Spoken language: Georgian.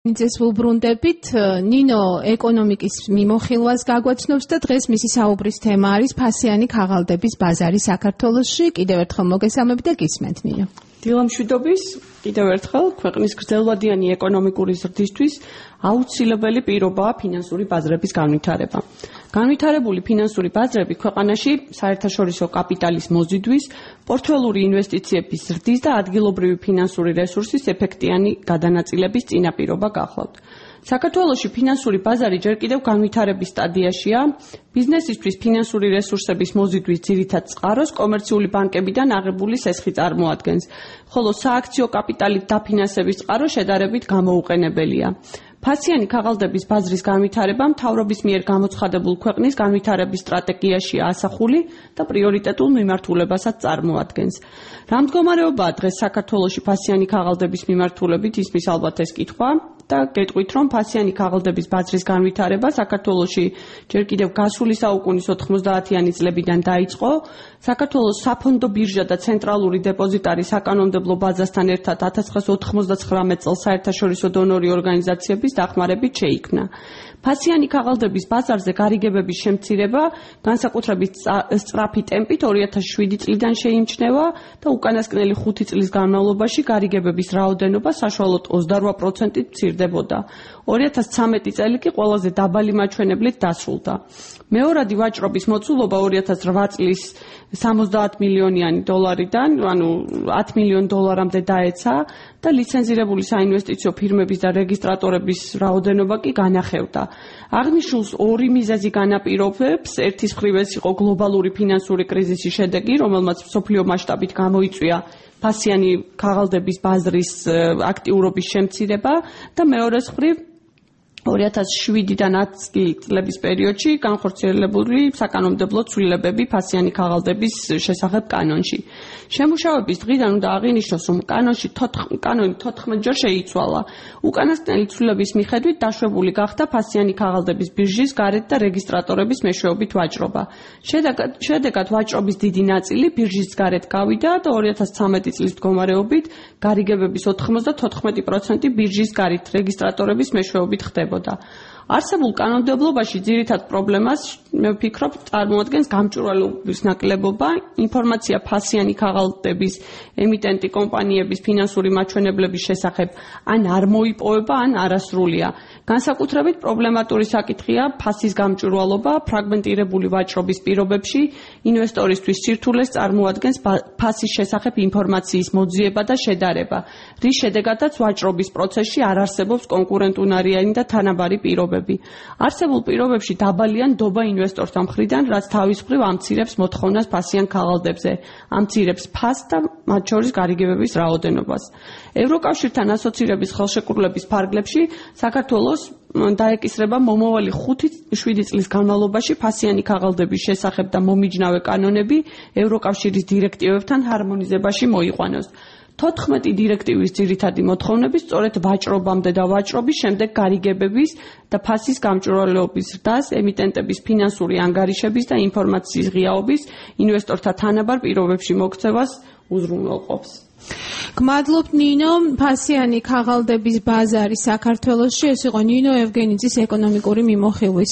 ძეს ვუბრუნდებით ნინო ეკონომიკის მიმოხილვას გაგვაცნობს და დღეს მისი საუბრის თემა არის ფასიანი ქაღალდების ბაზარი საქართველოში. კიდევ ერთხელ მოგესალმებით და გისმენთ ნინო. დილამშვიდობის, კიდევ ერთხელ ქვეყნის გრძელვადიანი ეკონომიკური ზრდისთვის აუცილებელი პირობაა ფინანსური ბაზრების განვითარება. განვითარებული ფინანსური ბაზრები ქვეყანაში საერთაშორისო კაპიტალის მოზიდვის, პორტფელური ინვესტიციების ზრდის და ადგილობრივი ფინანსური რესურსის ეფექტიანი გადანაწილების წინაპირობა გახლავთ. საქართველოში ფინანსური ბაზარი ჯერ კიდევ განვითარების სტადიაშია. ბიზნესისთვის ფინანსური რესურსების მოზიდვის ძირითად წყაროს კომერციული ბანკებიდან აღებული სესხი წარმოადგენს, ხოლო სააქციო კაპიტალით დაფინანსების წყარო შედარებით გამოუყენებელია. ფასიანი ქაღალდების ბაზრის განვითარება მთავრობის მიერ გამოცხადებულ ქვეყნის განვითარების სტრატეგიაშია ასახული და პრიორიტეტულ მიმართულებასაც წარმოადგენს. რა მდგომარეობაა დღეს საქართველოში ფასიანი ქაღალდების მიმართულებით, ისმის ალბათ ეს კითხვა და გეტყვით, რომ ფასიანი ქაღალდების ბაზრის განვითარება საქართველოში ჯერ კიდევ გასული საუკუნის 90-იანი წლებიდან დაიწყო. საქართველოს საფონდო ბირჟა და ცენტრალური დეპოზიტარი საკანონმდებლო ბაზასთან ერთად 1999 წელს საერთაშორისო დონორი ორგანიზაციების დახმარებით შეიქმნა. ფასიანი ქაღალდების ბაზარზე გარიგებების შემცირება განსაკუთრებით სწრაფი ტემპით 2007 წლიდან შეიმჩნევა და უკანასკნელი 5 წლის განმავლობაში გარიგებების რაოდენობა საშუალოდ 28%-ით მცირდებოდა. 2013 წელი კი ყველაზე დაბალი მაჩვენებლით დასრულდა. მეორადი ვაჭრობის მოცულობა 2008 წლის 70 მილიონიანი დოლარიდან, ანუ 10 მილიონ დოლარამდე დაეცა და ლიცენზირებული საინვესტიციო ფირმების და რეგისტრატორების რაოდენობა კი განახევდა. აღნიშნულს ორი მიზეზი განაპირობებს. ერთის მხრივ ეს იყო გლობალური ფინანსური კრიზისის შედეგი, რომელმაც მსოფლიო მასშტაბით გამოიწვია ფასიანი ქაღალდების ბაზრის აქტიურობის შემცირება და მეორეს მხრივ 2007-დან 10 წლების პერიოდში განხორციელებული საკანონმდებლო ცვლილებები ფასიანი ქაღალდების შესახებ კანონში. შემუშავების დღიდან უნდა აღინიშნოს, რომ კანონი 14 ჯერ შეიცვალა. უკანასკნელი ცვლილების მიხედვით დაშვებული გახდა ფასიანი ქაღალდების ბირჟის გარეთ და რეგისტრატორების მეშვეობით ვაჭრობა. შედეგად ვაჭრობის დიდი ნაწილი ბირჟის გარეთ გავიდა და 2013 წლის მდგომარეობით გარიგებების 94% ბირჟის გარეთ რეგისტრატორების მეშვეობით ხდება. არსებულ კანონმდებლობაში ძირითად პრობლემას, მე ვფიქრობ, წარმოადგენს გამჭვირვალობის ნაკლებობა, ინფორმაცია ფასიანი ქაღალდების ემიტენტი კომპანიების ფინანსური მაჩვენებლების შესახებ ან არ მოიპოვება, ან არასრულია. განსაკუთრებით პრობლემატური საკითხია ფასის გამჭვირვალობა, ფრაგმენტირებული ვაჭრობის პირობებში ინვესტორისთვის სირთულეს წარმოადგენს ფასის შესახებ ინფორმაციის მოძიება და შედარება, რის შედეგადაც ვაჭრობის პროცესში არ არსებობს კონკურენტუნარიანი და თანაბარი პირობები. არსებულ პირობებში დაბალია ნდობა ინვესტორთა მხრიდან, რაც თავის მხრივ ამცირებს მოთხოვნას ფასიან ქაღალდებზე, ამცირებს ფასს და მათ შორის გარიგებების რაოდენობას. ევროკავშირთან ასოცირების ხელშეკრულების ფარგლებში საქართველოს დაეკისრება მომავალი 5-7 წლის განმავლობაში ფასიანი ქაღალდების შესახებ და მომიჯნავე კანონები ევროკავშირის დირექტივებთან ჰარმონიზებაში მოიყვანოს. 14 დირექტივის ძირითადი მოთხოვნები სწორედ ვაჭრობამდე და ვაჭრობის შემდეგ გარიგებების და ფასის გამჭვირვალეობის ზრდას, ემიტენტების ფინანსური ანგარიშების და ინფორმაციის ღიაობის, ინვესტორთა თანაბარ პირობებში მოქცევას უზრუნველყოფს. გმადლობთ ნინო, ფასიანი ქაღალდების ბაზარი საქართველოში. ეს იყო ნინო ევგენიძის ეკონომიკური მიმოხილვის